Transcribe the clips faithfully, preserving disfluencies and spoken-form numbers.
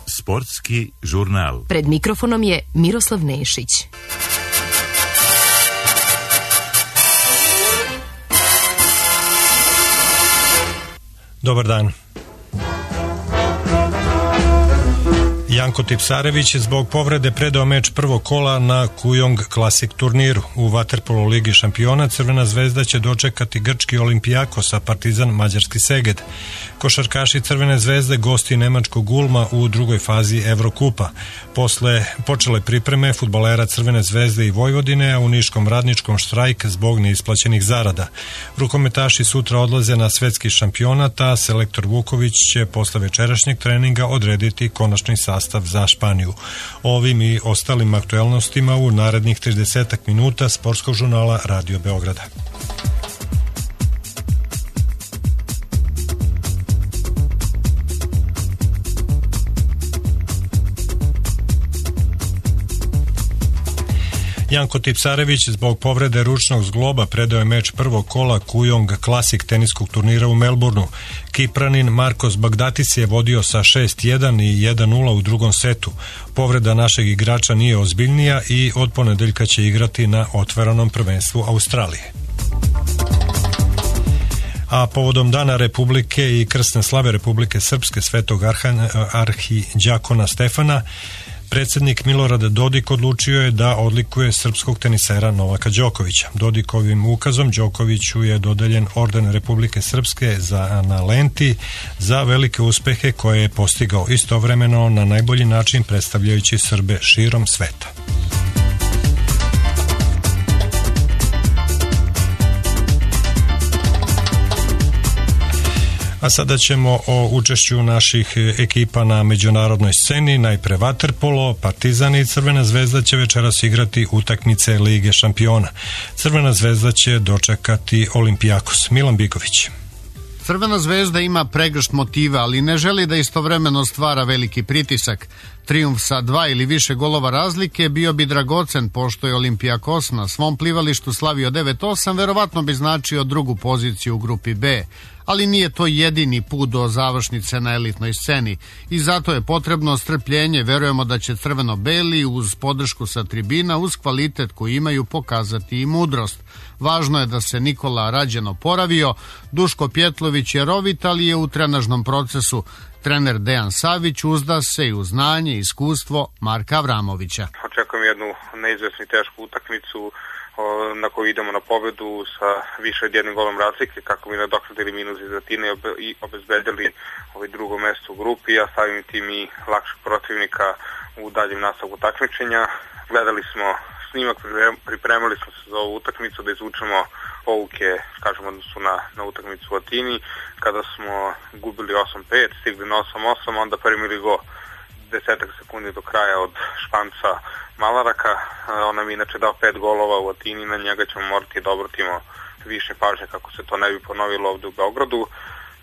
Sportski žurnal. Pred mikrofonom je Miroslav Nešić. Dobar dan. Janko Tipsarević je zbog povrede predao meč prvog kola na Kujong Classic turniru. U vaterpolo ligi šampiona Crvena zvezda će dočekati grčki Olimpijakos, a Partizan mađarski Seged. Košarkaši Crvene zvezde gosti nemačkog Ulma u drugoj fazi Evrokupa. Posle počele pripreme fudbalera Crvene zvezde i Vojvodine, a u Niškom radničkom štrajk zbog neisplaćenih zarada. Rukometaši sutra odlaze na svetski šampionat, a selektor Vuković će posle večerašnjeg treninga odrediti konačni sastav za Španiju. Ovim i ostalim aktuelnostima u narednih tridesetak minuta sportskog žurnala Radio Beograda. Janko Tipsarević zbog povrede ručnog zgloba predao je meč prvog kola Kujong Classic teniskog turnira u Melbourneu. Kipranin Markos Bagdatis je vodio sa šest jedan i jedan nula u drugom setu. Povreda našeg igrača nije ozbiljnija i od ponedeljka će igrati na otvorenom prvenstvu Australije. A povodom Dana Republike i krsne slave Republike Srpske Svetog arhidjakona Stefana, predsjednik Milorad Dodik odlučio je da odlikuje srpskog tenisera Novaka Đokovića. Dodikovim ukazom Đokoviću je dodeljen orden Republike Srpske za, na lenti za velike uspehe koje je postigao istovremeno na najbolji način predstavljajući Srbe širom sveta. A sada ćemo o učešću naših ekipa na međunarodnoj sceni. Najpre vaterpolo, Partizan i Crvena zvezda će večeras igrati utakmice Lige šampiona. Crvena zvezda će dočekati Olimpijakos. Milan Biković. Crvena zvezda ima pregršt motiva, ali ne želi da istovremeno stvara veliki pritisak. Trijumf sa dva ili više golova razlike bio bi dragocen, pošto je Olimpijakos na svom plivalištu slavio devet osam, verovatno bi značio drugu poziciju u grupi B. Ali nije to jedini put do završnice na elitnoj sceni i zato je potrebno strpljenje. Verujemo da će crveno-beli uz podršku sa tribina, uz kvalitet koji imaju, pokazati i mudrost. Važno je da se Nikola Rađen oporavio, Duško Pjetlović je rovit, ali je u trenažnom procesu. Trener Dejan Savić uzda se i u znanje i iskustvo Marka Avramovića. Očekujem jednu neizvesnu i tešku utakmicu na koju idemo na pobedu sa više od jednim golom razlike, kako bi nadoknadili minus iz Atine i obezbedili ovaj drugo mesto u grupi, a samim tim i lakšeg protivnika u daljem nastavku takmičenja. Gledali smo snimak, pripremali smo se za ovu utakmicu da izvučemo pouke, kažemo odnosu na, na utakmicu u Atini, kada smo gubili osam pet, stigli na osam osam, onda primili go desetak sekundi do kraja od Španca Malaraka. On nam je inače dao pet golova u Atini, na njega ćemo morati da obratimo više pažnje kako se to ne bi ponovilo ovde u Beogradu.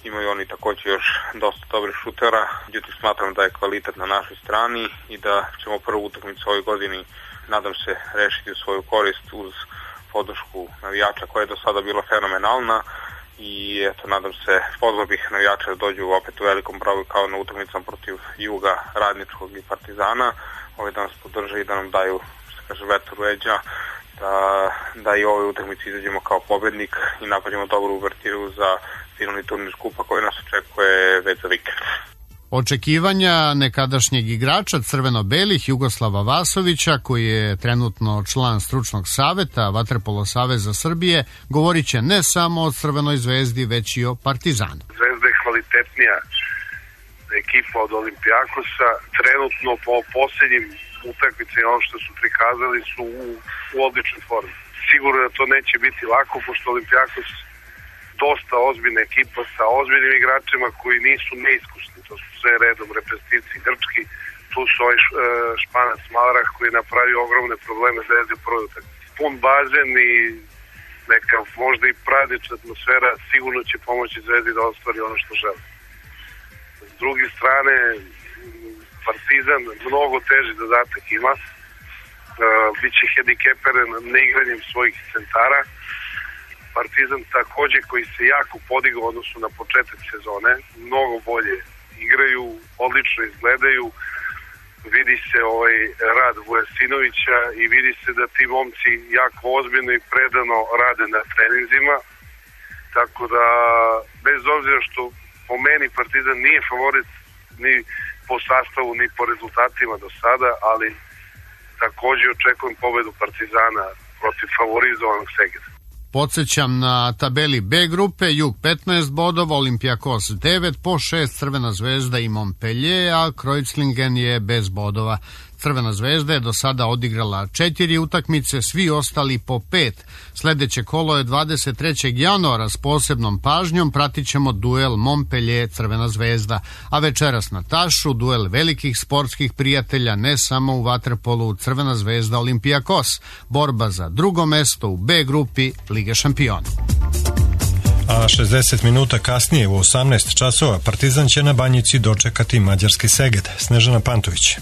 Imaju oni također još dosta dobrih šutera, međutim smatram da je kvalitet na našoj strani i da ćemo prvu utakmicu ovoj godini, nadam se, rešiti u svoju korist uz podršku navijača koja je do sada bila fenomenalna. I eto, nadam se, pozvao bih navijača da dođu opet u velikom broju kao na utakmicama protiv Juga, Radničkog i Partizana, ovaj da nas podrže i da nam daju, što kaže, vetar u leđa, da, da i ove utakmice izađemo kao pobednik i napravimo dobru uvertiru za finalni turnir skupa koji nas očekuje već za vikend. Očekivanja nekadašnjeg igrača crveno-belih Jugoslava Vasovića, koji je trenutno član stručnog saveta Vaterpolo saveza Srbije, govorit će ne samo o Crvenoj zvezdi, već i o Partizanu. Zvezda je kvalitetnija ekipa od Olimpijakosa. Trenutno po posljednjim utakmicama, ono što su prikazali, su u, u odličnoj formi. Sigurno da to neće biti lako, pošto Olimpijakos dosta ozbiljna ekipa sa ozbiljnim igračima koji nisu neiskusni. To su sve redom reprezentativci grčki. Tu su ovaj Španac Malarah koji je napravio ogromne probleme Zvezdi u prvoj utakmici. Pun bazen i neka možda i pravična atmosfera sigurno će pomoći Zvezdi da ostvari ono što žele. S druge strane, Partizan mnogo teži zadatak ima. Biće hendikeperen neigranjem svojih centara. Partizan takođe koji se jako podigao odnosno na početak sezone, mnogo bolje igraju, odlično izgledaju, vidi se ovaj rad Vujasinovića i vidi se da ti momci jako ozbiljno i predano rade na treninzima, tako da bez obzira što po meni Partizan nije favorit ni po sastavu ni po rezultatima do sada, ali takođe očekujem pobedu Partizana protiv favorizovanog Segeda. Podsećam na tabeli B grupe, Jug petnaest bodova, Olimpijakos devet, po šest Crvena zvezda i Montpellier, a Kreuzlingen je bez bodova. Crvena zvezda je do sada odigrala četiri utakmice, svi ostali po pet. Sledeće kolo je dvadeset trećeg januara, s posebnom pažnjom pratit ćemo duel Montpellier-Crvena zvezda, a večeras na tašu duel velikih sportskih prijatelja ne samo u vaterpolu Crvena zvezda Olimpijakos, borba za drugo mesto u B grupi Lige šampiona. A šezdeset minuta kasnije u osamnaest časova Partizan će na Banjici dočekati mađarski Seged. Snežana Pantović.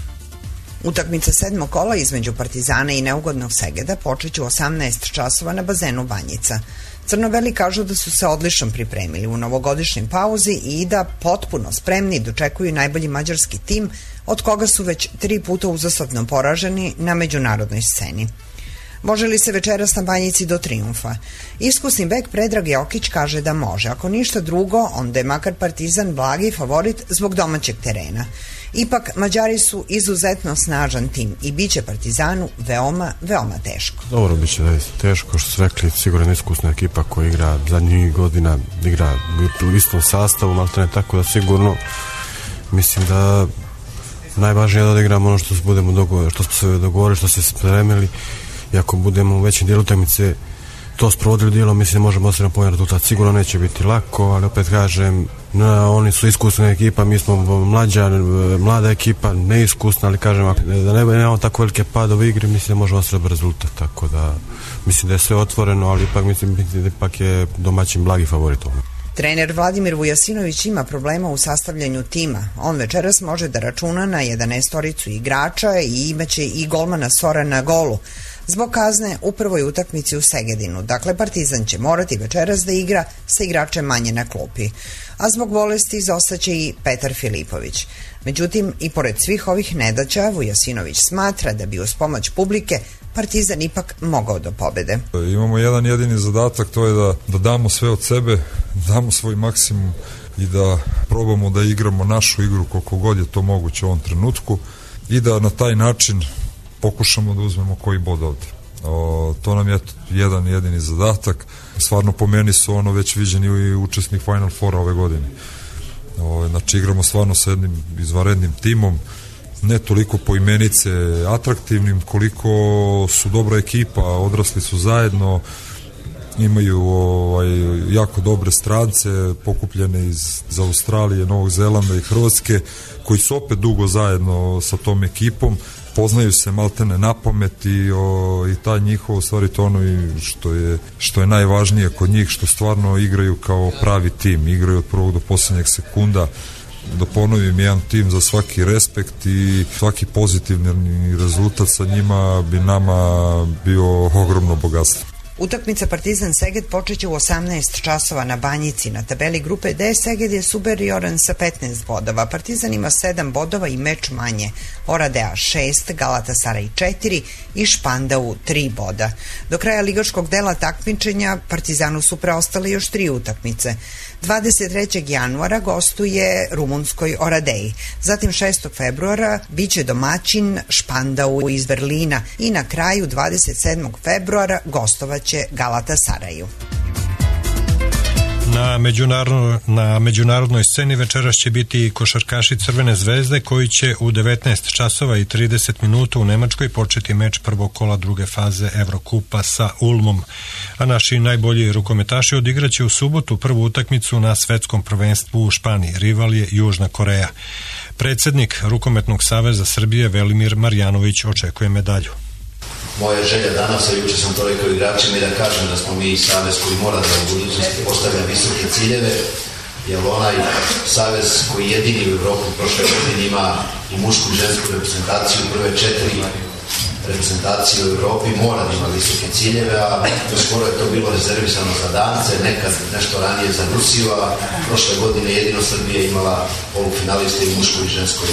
Utakmica sedmog kola između Partizana i neugodnog Segeda počeće u osamnaest časova na bazenu Banjica. Crno-beli kažu da su se odlično pripremili u novogodišnjoj pauzi i da potpuno spremni dočekuju najbolji mađarski tim, od koga su već tri puta uzastopno poraženi na međunarodnoj sceni. Može li se večeras na Banjici do trijumfa? Iskusni bek Predrag Jokić kaže da može. Ako ništa drugo, onda je makar Partizan blagi favorit zbog domaćeg terena. Ipak, Mađari su izuzetno snažan tim i bit će Partizanu veoma, veoma teško. Dobro, bit će da teško, što su rekli, sigurno iskusna ekipa koja igra zadnjih godina, igra u istom sastavu, maltene, tako da sigurno mislim da najvažnije je da odigramo ono što se budemo dogovorili, što smo se dogovorili, što se spremili, i ako budemo u većem dijelu utakmice to sprovodili dijelo, mislim možemo ostaviti povoljan rezultat. Sigurno neće biti lako, ali opet kažem, no, oni su iskusna ekipa, mi smo mlađa, mlada ekipa, neiskusna, ali kažem, da ne nemamo tako velike padove igre, mislim da možemo ostaviti rezultat, tako da mislim da je sve otvoreno, ali ipak mislim da ipak je domaćin blagi favorit. Trener Vladimir Vujasinović ima problema u sastavljanju tima. On večeras može da računa na jedanaestoricu igrača i imaće i golmana Sora na golu. Zbog kazne u prvoj utakmici u Segedinu. Dakle, Partizan će morati večeras da igra sa igračem manje na klupi. A zbog bolesti izostaće i Petar Filipović. Međutim, i pored svih ovih nedaća, Vujasinović smatra da bi uz pomoć publike Partizan ipak mogao do pobede. Imamo jedan jedini zadatak, to je da, da damo sve od sebe, damo svoj maksimum i da probamo da igramo našu igru koliko god je to moguće u ovom trenutku i da na taj način pokušamo da uzmemo koji bod ovde. O, to nam je jedan jedini zadatak. Stvarno po meni su ono već viđeni i učesnik Final Fora ove godine. O, znači igramo stvarno sa jednim izvanrednim timom, ne toliko po imenice atraktivnim, koliko su dobra ekipa, odrasli su zajedno, imaju ovaj, jako dobre strance pokupljene iz, iz Australije, Novog Zelanda i Hrvatske, koji su opet dugo zajedno sa tom ekipom, poznaju se maltene na pamet i, o, i taj njihov, stvari to ono i što je, što je najvažnije kod njih, što stvarno igraju kao pravi tim, igraju od prvog do posljednjeg sekunda. Da ponovim, jedan tim za svaki respekt i svaki pozitivni rezultat sa njima bi nama bio ogromno bogatstvo. Utakmica Partizan Seged počeće u osamnaest časova na Banjici. Na tabeli grupe D Seged je superioran sa petnaest bodova. Partizan ima sedam bodova i meč manje. Oradea šest, Galatasaray četiri i Špandau tri boda. Do kraja ligaškog dela takmičenja Partizanu su preostale još tri utakmice. dvadeset trećeg januara gostuje rumunskoj Oradeji. Zatim šestog februara biće domaćin Špandau iz Berlina i na kraju dvadeset sedmog februara gostovaće Galatasaraju. Na, međunarodno, na međunarodnoj sceni večeras će biti košarkaši Crvene zvezde koji će u devetnaest časova i trideset minuta u Nemačkoj početi meč prvog kola druge faze Evrokupa sa Ulmom. A naši najbolji rukometaši odigraće u subotu prvu utakmicu na svetskom prvenstvu u Španiji. Rival je Južna Koreja. Predsednik Rukometnog saveza Srbije Velimir Marjanović očekuje medalju. Moja želja danas, a juče sam to rekao igračima, i da kažem da smo mi savez koji mora da u budućnosti postavlja visoke ciljeve, jer onaj savez koji jedini u Evropu prošle godine ima i mušku i žensku reprezentaciju prve četiri reprezentacije u Europi mora da ima visoke ciljeve, a skoro je to bilo rezervisano za Dance, nekad nešto ranije za Rusiju, a prošle godine jedino Srbija imala polufinaliste i muškoj i ženskoj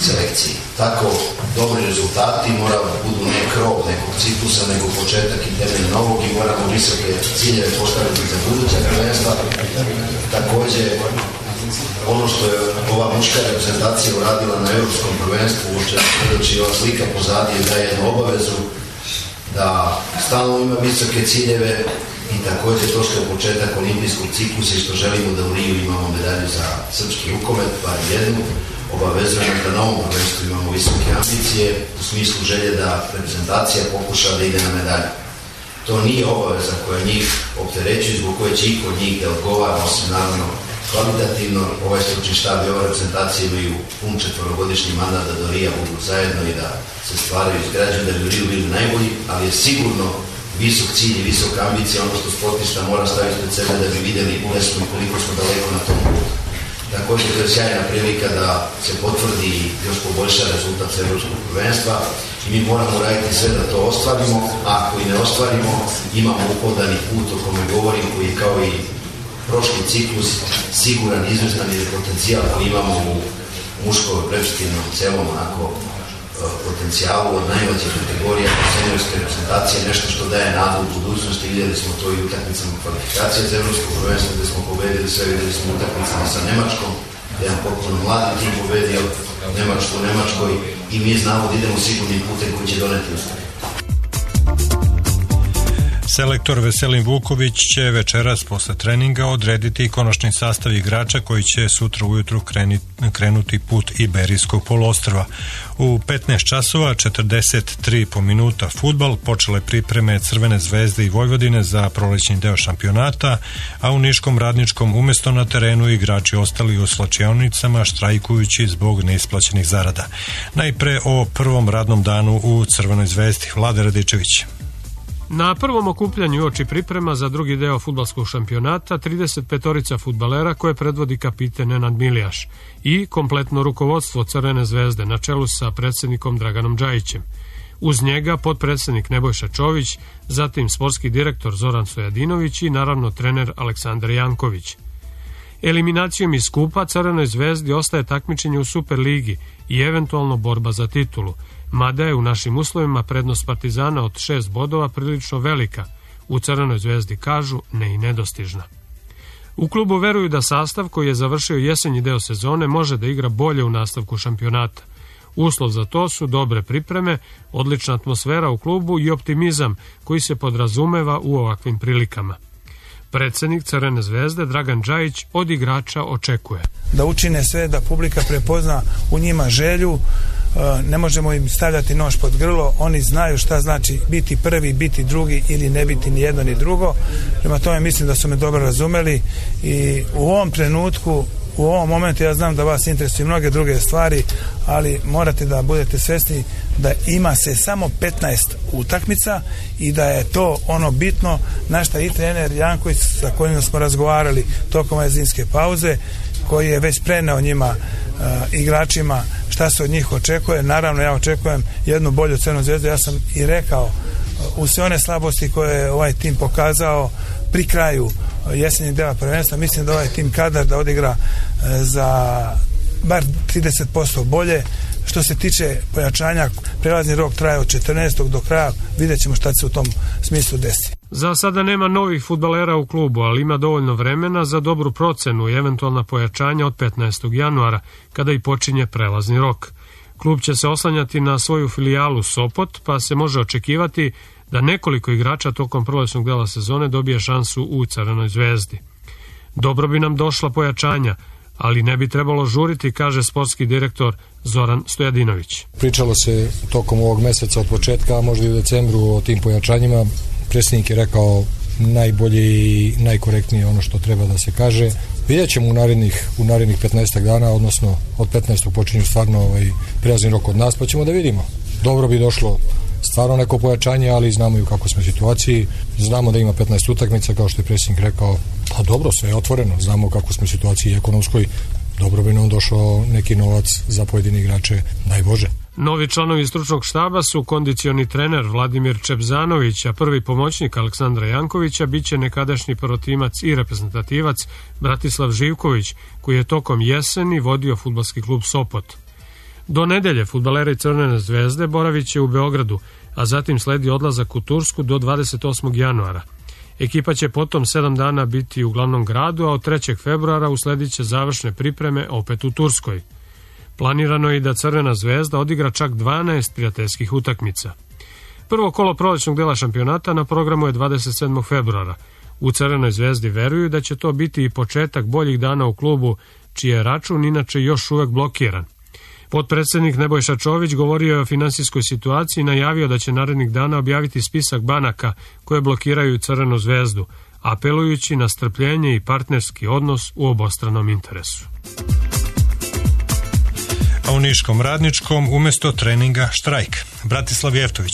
selekciji. Tako, dobri rezultati moraju da budu ne krov nekog ciklusa, nego početak i temelj novog i moramo visoke ciljeve postaviti za buduća prvenstva. Takođe, ono što je ova muška reprezentacija uradila na evropskom prvenstvu, uopće predoči ova slika pozadije, daje jednu obavezu da stalno ima visoke ciljeve i takođe to što je početak olimpijskog ciklusa i što želimo da u Riju imamo medalju za srpski rukomet, pa jednu, obavezujemo da na ovom prvenstvu imamo visoke ambicije u smislu želje da reprezentacija pokuša da ide na medalju. To nije obaveza koja njih opterećuje, zbog koje će iko od njih da odgovara, osim naravno kvalitativno. Ovaj stručni štab i ova reprezentacija imaju pun četvorogodišnji mandat da do Rija budu zajedno i da se stvaraju izgrađaju, da bi u Riju bili najbolji, ali je sigurno visok cilj i visoka ambicija ono što sportista mora staviti pred sebe da bi videli gde smo i koliko smo daleko na tom putu. Također to je sjajna prilika da se potvrdi i još poboljša rezultat evropskog prvenstva i mi moramo raditi sve da to ostvarimo, a ako i ne ostvarimo imamo uhodani put o kome govorim, koji je kao i prošli ciklus siguran, izvestan ili potencijal koji imamo u muškoj prepstivnom celom onako potencijalu od najmlađe kategorija seniorske reprezentacije, nešto što daje nadu u budućnosti. Vidjeli smo to i utakmicama kvalifikacije za evropsko prvenstvo gde smo pobedili sve, vidjeli smo utakmicama sa Nemačkom, jedan potpuno mladi tim pobedio Nemačku u Nemačkoj i mi znamo da idemo sigurnim putem koji će doneti uspeh. Selektor Veselin Vuković će večeras posle treninga odrediti konačni sastav igrača koji će sutra ujutru krenuti put Iberijskog poluostrva. U petnaest časova četrdeset tri po minuta fudbal, počele pripreme Crvene zvezde i Vojvodine za prolećni deo šampionata, a u Niškom Radničkom umesto na terenu igrači ostali u slačionicama štrajkujući zbog neisplaćenih zarada. Najpre o prvom radnom danu u Crvenoj zvezdi. Vlada Radičević. Na prvom okupljanju uoči priprema za drugi deo fudbalskog šampionata trideset petorica fudbalera koje predvodi kapiten Nenad Milijaš i kompletno rukovodstvo Crvene zvezde na čelu sa predsednikom Draganom Džajićem. Uz njega potpredsednik Nebojša Čović, zatim sportski direktor Zoran Stojadinović i naravno trener Aleksandar Janković. Eliminacijom iz skupa Crvenoj zvezdi ostaje takmičenje u Superligi i eventualno borba za titulu, mada je u našim uslovima prednost Partizana od šest bodova prilično velika, u Crvenoj zvezdi kažu ne i nedostižna. U klubu veruju da sastav koji je završio jesenji deo sezone može da igra bolje u nastavku šampionata. Uslov za to su dobre pripreme, odlična atmosfera u klubu i optimizam koji se podrazumeva u ovakvim prilikama. Predsednik Crvene zvezde Dragan Džajić od igrača očekuje da učine sve da publika prepozna u njima želju. Ne možemo im stavljati nož pod grlo, oni znaju šta znači biti prvi, biti drugi ili ne biti ni jedno ni drugo. Prema tome mislim da su me dobro razumeli i u ovom trenutku, u ovom momentu ja znam da vas interesuju mnoge druge stvari, ali morate da budete svesni da ima se samo petnaest utakmica i da je to ono bitno na šta i trener Janković sa kojim smo razgovarali tokom ove zimske pauze, koji je već preneo njima uh, igračima šta se od njih očekuje. Naravno ja očekujem jednu bolju Crvenu zvezdu. Ja sam i rekao uh, u sve one slabosti koje je ovaj tim pokazao pri kraju uh, jesenjeg dela prvenstva, mislim da ovaj tim kadar da odigra uh, za bar trideset posto bolje. Što se tiče pojačanja, prelazni rok traje od četrnaestog do kraja, vidjet ćemo šta se u tom smislu desi. Za sada nema novih fudbalera u klubu, ali ima dovoljno vremena za dobru procenu i eventualna pojačanja od petnaestog januara, kada i počinje prelazni rok. Klub će se oslanjati na svoju filijalu Sopot, pa se može očekivati da nekoliko igrača tokom prolećnog dela sezone dobije šansu u Crvenoj zvezdi. Dobro bi nam došla pojačanja, ali ne bi trebalo žuriti, kaže sportski direktor Zoran Stojadinović. Pričalo se tokom ovog meseca od početka, a možda i u decembru, o tim pojačanjima. Predsjednik je rekao najbolje i najkorektnije ono što treba da se kaže. Vidjet ćemo u narednih, u narednih petnaest dana, odnosno od petnaestog počinju stvarno ovaj prelazni rok od nas, pa ćemo da vidimo. Dobro bi došlo stvarno neko pojačanje, ali znamo i u kakvoj smo situaciji. Znamo da ima petnaest utakmica, kao što je predsjednik rekao, pa dobro, sve je otvoreno. Znamo u kakvoj smo situaciji ekonomskoj. Dobro bi nam došao neki novac za pojedine igrače, daj Bože. Novi članovi stručnog štaba su kondicioni trener Vladimir Čebzanović, a prvi pomoćnik Aleksandra Jankovića biće nekadašnji prvotimac i reprezentativac Bratislav Živković, koji je tokom jeseni vodio fudbalski klub Sopot. Do nedelje fudbaleri Crvene zvezde boravit će u Beogradu, a zatim sledi odlazak u Tursku do dvadeset osmog januara. Ekipa će potom sedam dana biti u glavnom gradu, a od trećeg februara usledit će završne pripreme opet u Turskoj. Planirano je i da Crvena zvezda odigra čak dvanaest prijateljskih utakmica. Prvo kolo prolećnog dela šampionata na programu je dvadeset sedmog februara. U Crvenoj zvezdi veruju da će to biti i početak boljih dana u klubu, čiji je račun inače još uvek blokiran. Potpredsednik Nebojša Čović govorio je o finansijskoj situaciji i najavio da će narednih dana objaviti spisak banaka koje blokiraju Crvenu zvezdu, apelujući na strpljenje i partnerski odnos u obostranom interesu. A u Niškom Radničkom umesto treninga štrajk. Bratislav Jeftović.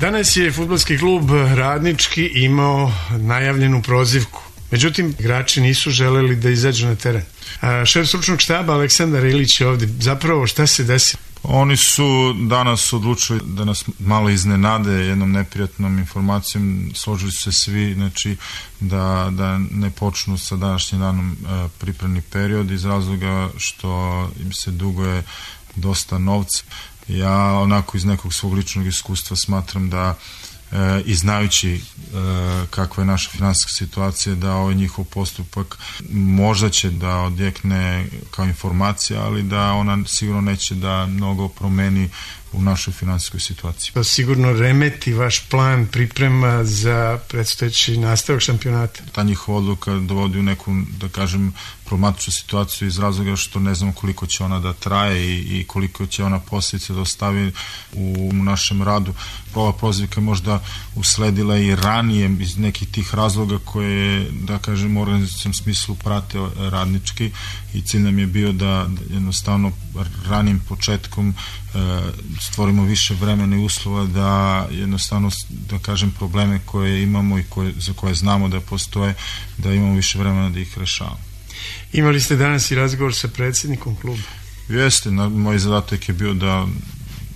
Danas je fudbalski klub Radnički imao najavljenu prozivku. Međutim, igrači nisu želeli da izađu na teren. A šef stručnog štaba Aleksandar Ilić je ovdje. Zapravo, šta se desilo? Oni su danas odlučili da nas malo iznenade jednom neprijatnom informacijom. Složili su se svi, znači, da, da ne počnu sa današnjim danom e, pripremni period iz razloga što im se duguje dosta novca. Ja onako iz nekog svog ličnog iskustva smatram da E, i znajući e, kakva je naša finansijska situacija, da ovaj njihov postupak možda će da odjekne kao informacija, ali da ona sigurno neće da mnogo promeni u našoj finansijskoj situaciji. To sigurno remeti vaš plan priprema za predstojeći nastavak šampionata. Ta njihova odluka dovodi u neku, da kažem, problematičnu situaciju iz razloga što ne znamo koliko će ona da traje i, i koliko će ona posljedice da ostavi u, u našem radu. Ova prozivka je možda usledila i ranije iz nekih tih razloga koje, da kažem, u organizacijom smislu prate Radnički i cilj nam je bio da jednostavno ranijim početkom e, stvorimo više vremena i uslova da jednostavno, da kažem, probleme koje imamo i koje, za koje znamo da postoje, da imamo više vremena da ih rešavamo. Imali ste danas i razgovor sa predsjednikom kluba? Jeste, na, moj zadatak je bio da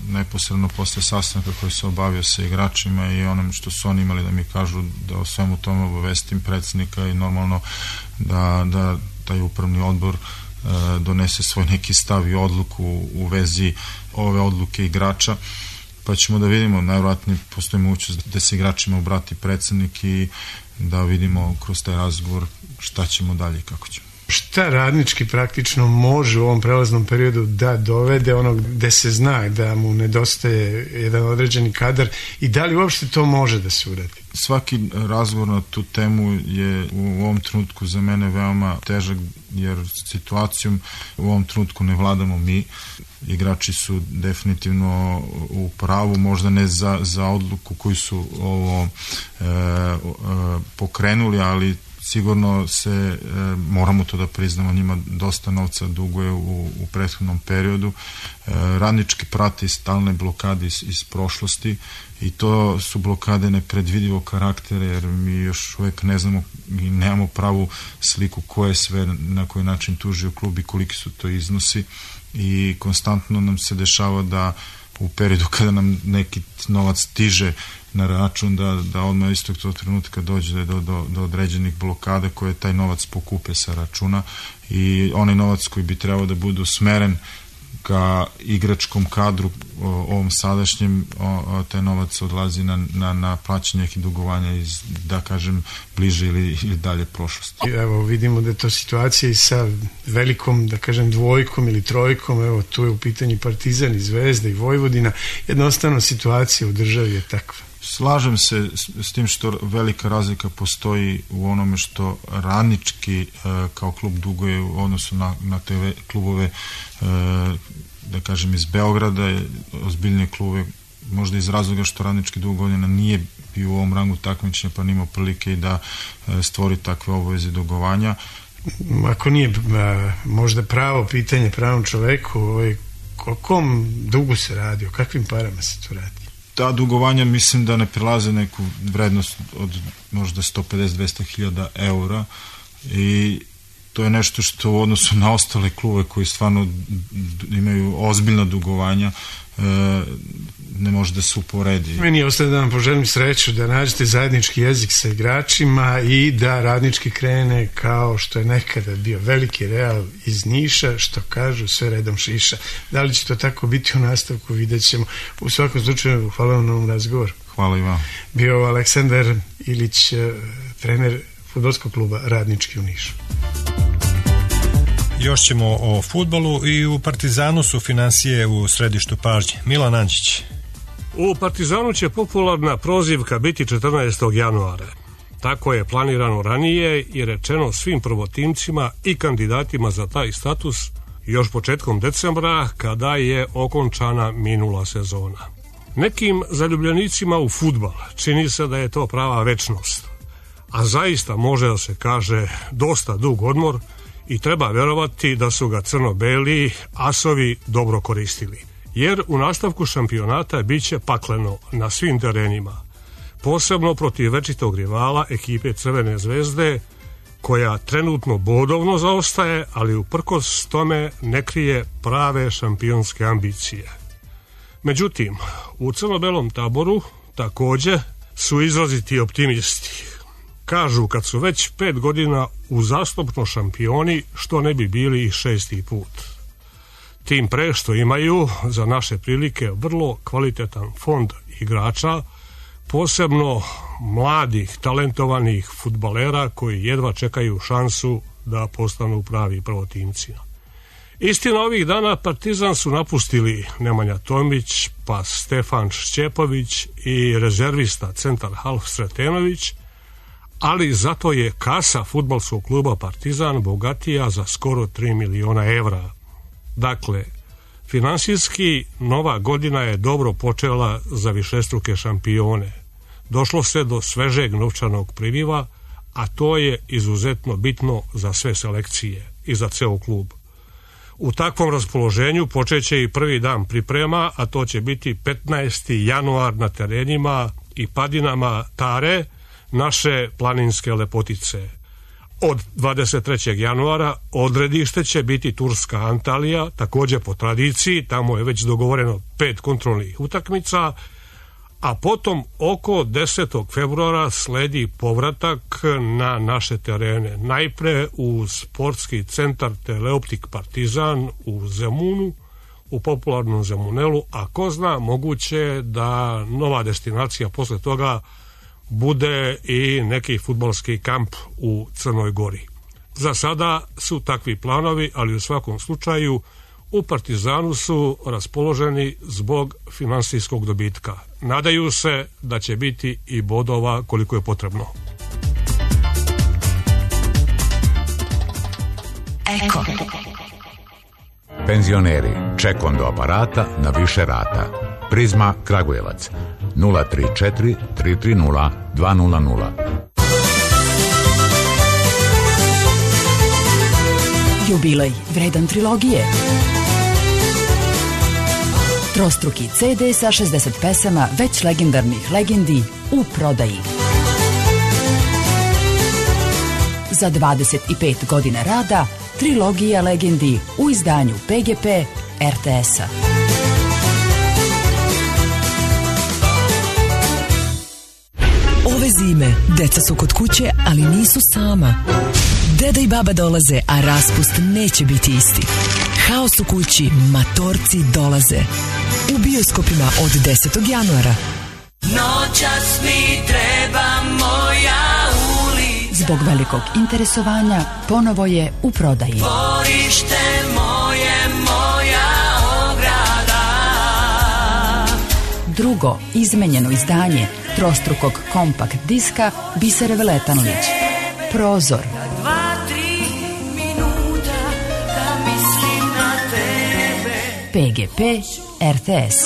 neposredno posle sastanka koji se obavio sa igračima i onom što su oni imali da mi kažu, da o svemu tome obavestim predsjednika i normalno da, da taj upravni odbor e, donese svoj neki stav i odluku u vezi ove odluke igrača, pa ćemo da vidimo, najvjerojatnije postoji mogućnost da se igračima obrati predsjednik i da vidimo kroz taj razgovor šta ćemo dalje i kako ćemo. Šta Radnički praktično može u ovom prelaznom periodu da dovede onog gde se zna da mu nedostaje jedan određeni kadar i da li uopšte to može da se uradi? Svaki razgovor na tu temu je u ovom trenutku za mene veoma težak, jer situacijom u ovom trenutku ne vladamo mi. Igrači su definitivno u pravu, možda ne za, za odluku koju su ovo e, e, pokrenuli, ali sigurno se, e, moramo to da priznamo, njima dosta novca duguje u, u prethodnom periodu. E, Radnički prati stalne blokade iz, iz prošlosti i to su blokade nepredvidivo karaktera, jer mi još uvek ne znamo i nemamo pravu sliku ko je sve na koji način tužio klub i koliki su to iznosi i konstantno nam se dešava da u periodu kada nam neki novac stiže na račun da, da odmah istog tog trenutka dođe do, do, do određenih blokada koje taj novac pokupe sa računa i onaj novac koji bi trebao da bude usmeren ka igračkom kadru o, ovom sadašnjem, o, o, taj novac odlazi na, na, na plaćanje nekih dugovanja iz, da kažem, bliže ili, ili dalje prošlosti. Evo vidimo da je to situacija i sa velikom, da kažem, dvojkom ili trojkom, evo tu je u pitanju Partizan i Zvezda i Vojvodina, jednostavno situacija u državi je takva. Slažem se s, s tim što velika razlika postoji u onome što Radnički e, kao klub duguje u odnosu na, na te klubove, e, da kažem, iz Beograda, ozbiljnije klubove, možda iz razloga što Radnički dugo godina nije bio u ovom rangu takmičenja pa nimao prilike i da e, stvori takve obaveze dugovanja. Ako nije a, možda pravo pitanje pravom čoveku, ovaj, o kom dugu se radi, o kakvim parama se to radi? Ta dugovanja mislim da ne prelaze neku vrednost od možda sto pedeset do dvesta hiljada eura i to je nešto što u odnosu na ostale klube koji stvarno imaju ozbiljna dugovanja ne može da se uporedi. Meni ostaje da vam poželim sreću, da nađete zajednički jezik sa igračima i da Radnički krene kao što je nekada bio veliki Real iz Niša, što kažu sve redom šiša. Da li će to tako biti u nastavku, vidjet ćemo. U svakom slučaju, hvala vam na ovom razgovoru. Hvala i vam. Bio Aleksandar Ilić, trener fudbalskog kluba Radnički u Nišu. Još ćemo o fudbalu i u Partizanu su finansije u središtu pažnje. Milan Anđić. U Partizanu će popularna prozivka biti četrnaestog januara. Tako je planirano ranije i rečeno svim prvotimcima i kandidatima za taj status još početkom decembra, kada je okončana minula sezona. Nekim zaljubljenicima u fudbal čini se da je to prava večnost, a zaista može da se kaže dosta dug odmor i treba verovati da su ga crno-beli asovi dobro koristili. Jer u nastavku šampionata bit će pakleno na svim terenima, posebno protiv večitog rivala ekipe Crvene zvezde, koja trenutno bodovno zaostaje, ali uprkos tome ne krije prave šampionske ambicije. Međutim, u crno-belom taboru također su izraziti optimisti. Kažu, kad su već pet godina uzastopno šampioni, što ne bi bili i šesti put. Tim pre što imaju za naše prilike vrlo kvalitetan fond igrača, posebno mladih, talentovanih fudbalera koji jedva čekaju šansu da postanu pravi prvotimci. Istina, ovih dana Partizan su napustili Nemanja Tomić, pa Stefan Šćepović i rezervista centar half Sretenović, ali zato je kasa fudbalskog kluba Partizan bogatija za skoro tri miliona evra. Dakle, finansijski nova godina je dobro počela za višestruke šampione. Došlo se do svežeg novčanog priliva, a to je izuzetno bitno za sve selekcije i za ceo klub. U takvom raspoloženju počeće i prvi dan priprema, a to će biti petnaesti januar na terenima i padinama Tare, naše planinske lepotice. Od dvadeset trećeg januara odredište će biti turska Antalija, također po tradiciji, tamo je već dogovoreno pet kontrolnih utakmica, a potom oko desetog februara sledi povratak na naše terene. Najpre u sportski centar Teleoptik Partizan u Zemunu, u popularnom Zemunelu, a ko zna, moguće da nova destinacija posle toga bude i neki fudbalski kamp u Crnoj Gori. Za sada su takvi planovi, ali u svakom slučaju u Partizanu su raspoloženi zbog finansijskog dobitka. Nadaju se da će biti i bodova koliko je potrebno. Eko. Penzioneri, ček do aparata na više rata. Prizma Kragujevac nula tri četiri tri tri nula dva nula nula. Jubilej vredan trilogije. Trostruki ce de sa šezdeset pesama već legendarnih legendi u prodaji. Za dvadeset pet godina rada trilogija legendi u izdanju pe ge pe er te esa. Ove zime deca su kod kuće, ali nisu sama. Deda i baba dolaze, a raspust neće biti isti. Haos u kući, matorci dolaze. U bioskopima od desetog januara. Noćas mi treba moja ulica. Zbog velikog interesovanja ponovo je u prodaji. Dvorište moje, moja ograda. Drugo izmenjeno izdanje trostrukog kompakt diska Bisere Veletanović. Prozor. Dva, tri minuta da mislim na tebe. pe ge pe er te es.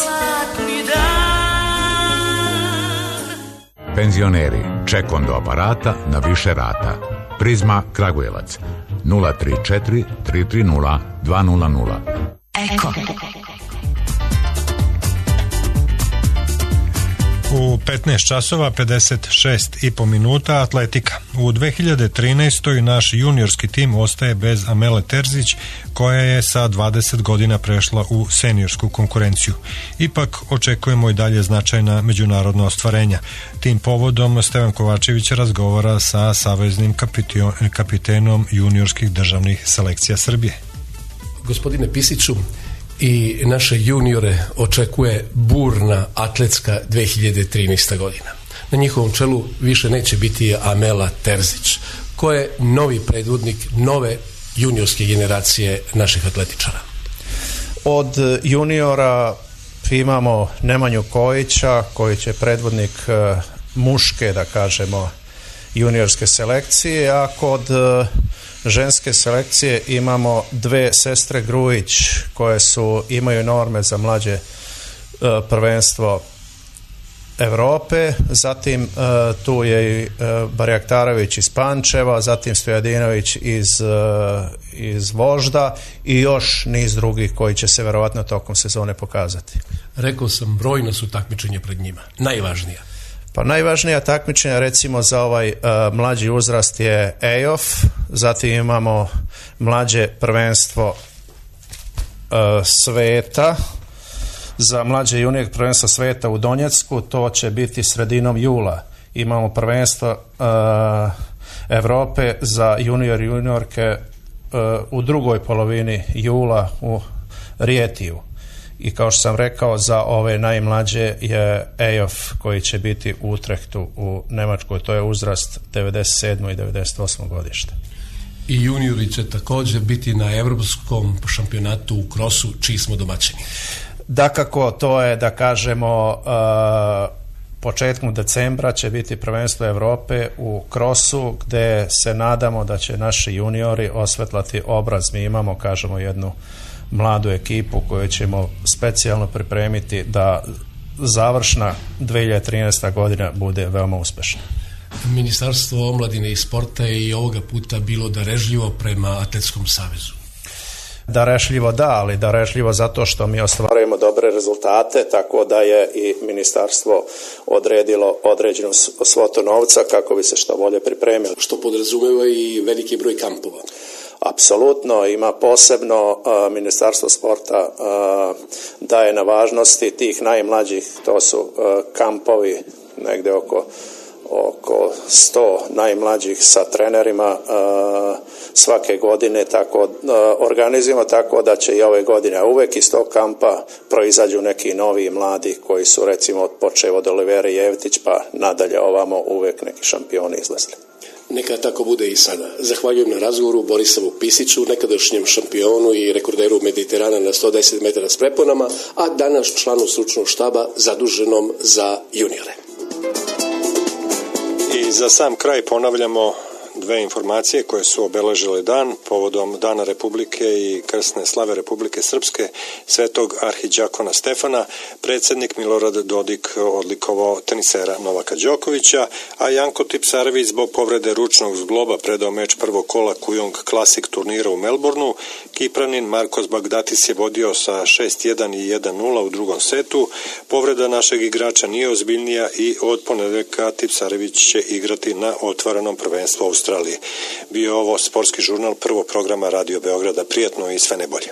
Penzioneri, ček do aparata na više rata. Prizma Kragujevac nula tri četiri tri tri nula dva nula nula. Eko. U petnaest časova pedeset šest i po minuta atletika. U dve hiljade trinaestoj. naš juniorski tim ostaje bez Amele Terzić, koja je sa dvadeset godina prešla u seniorsku konkurenciju. Ipak očekujemo i dalje značajna međunarodna ostvarenja. Tim povodom Stevan Kovačević razgovara sa saveznim kapitenom juniorskih državnih selekcija Srbije. Gospodine Pisiću, i naše juniore očekuje burna atletska dve hiljade trinaesta. godina. Na njihovom čelu više neće biti Amela Terzić, ko je novi predvodnik nove juniorske generacije naših atletičara. Od juniora imamo Nemanju Kojića, koji će predvodnik muške, da kažemo, juniorske selekcije, a kod ženske selekcije imamo dve sestre Grujić koje su, imaju norme za mlađe prvenstvo Evrope, zatim tu je i Barjaktarović iz Pančeva, zatim Stojadinović iz, iz Vožda i još niz drugih koji će se verovatno tokom sezone pokazati. Rekao sam, brojna su takmičenja pred njima. Najvažnija? Pa najvažnija takmičenja recimo za ovaj uh, mlađi uzrast je E I O F, zatim imamo mlađe prvenstvo uh, sveta, za mlađe junior prvenstvo sveta u Donjecku, to će biti sredinom jula. Imamo prvenstvo uh, Evrope za junior i juniorke uh, u drugoj polovini jula u Rijetiju. I kao što sam rekao, za ove najmlađe je E I O F koji će biti u Utrehtu u Nemačkoj, to je uzrast devedeset sedmo i devedeset osmo godište. I juniori će također biti na evropskom šampionatu u krosu, čiji smo domaćini. Dakako, to je, da kažemo, uh, početkom decembra će biti prvenstvo Evrope u krosu, gde se nadamo da će naši juniori osvetlati obraz. Mi imamo, kažemo, jednu mladu ekipu koju ćemo specijalno pripremiti da završna dve hiljade trinaesta. godina bude veoma uspešna. Ministarstvo omladine i sporta je i ovoga puta bilo darežljivo prema Atletskom savezu. Darežljivo da, ali darežljivo zato što mi ostvarujemo dobre rezultate, tako da je i ministarstvo odredilo određenu svotu novca kako bi se što bolje pripremilo. Što podrazumeva i veliki broj kampova. Apsolutno, ima posebno uh, Ministarstvo sporta uh, daje na važnosti tih najmlađih, to su uh, kampovi negde oko oko sto najmlađih sa trenerima uh, svake godine, tako uh, organizujemo tako da će i ove godine uvek iz tog kampa proizađu neki novi mladi koji su recimo počeo od Olivera Jevtić pa nadalje ovamo uvek neki šampioni izlazili. Neka tako bude i sada. Zahvaljujem na razgovoru Borislavu Pisiću, nekadašnjem šampionu i rekorderu Mediterana na sto deset metara s preponama, a danas članu stručnog štaba zaduženom za juniore. I za sam kraj ponavljamo dve informacije koje su obeležile dan povodom Dana Republike i krsne slave Republike Srpske svetog arhidjakona Stefana. Predsjednik Milorad Dodik odlikovao tenisera Novaka Đokovića, a Janko Tipsarević zbog povrede ručnog zgloba predao meč prvog kola Kujong Classic turnira u Melbourneu. Kipranin Markos Bagdatis je vodio sa šest jedan i jedan nula u drugom setu. Povreda našeg igrača nije ozbiljnija i od ponedeljka Tipsarević će igrati na otvorenom prvenstvu Australije. Bio ovo sportski žurnal prvog programa Radio Beograda. Prijatno i sve najbolje.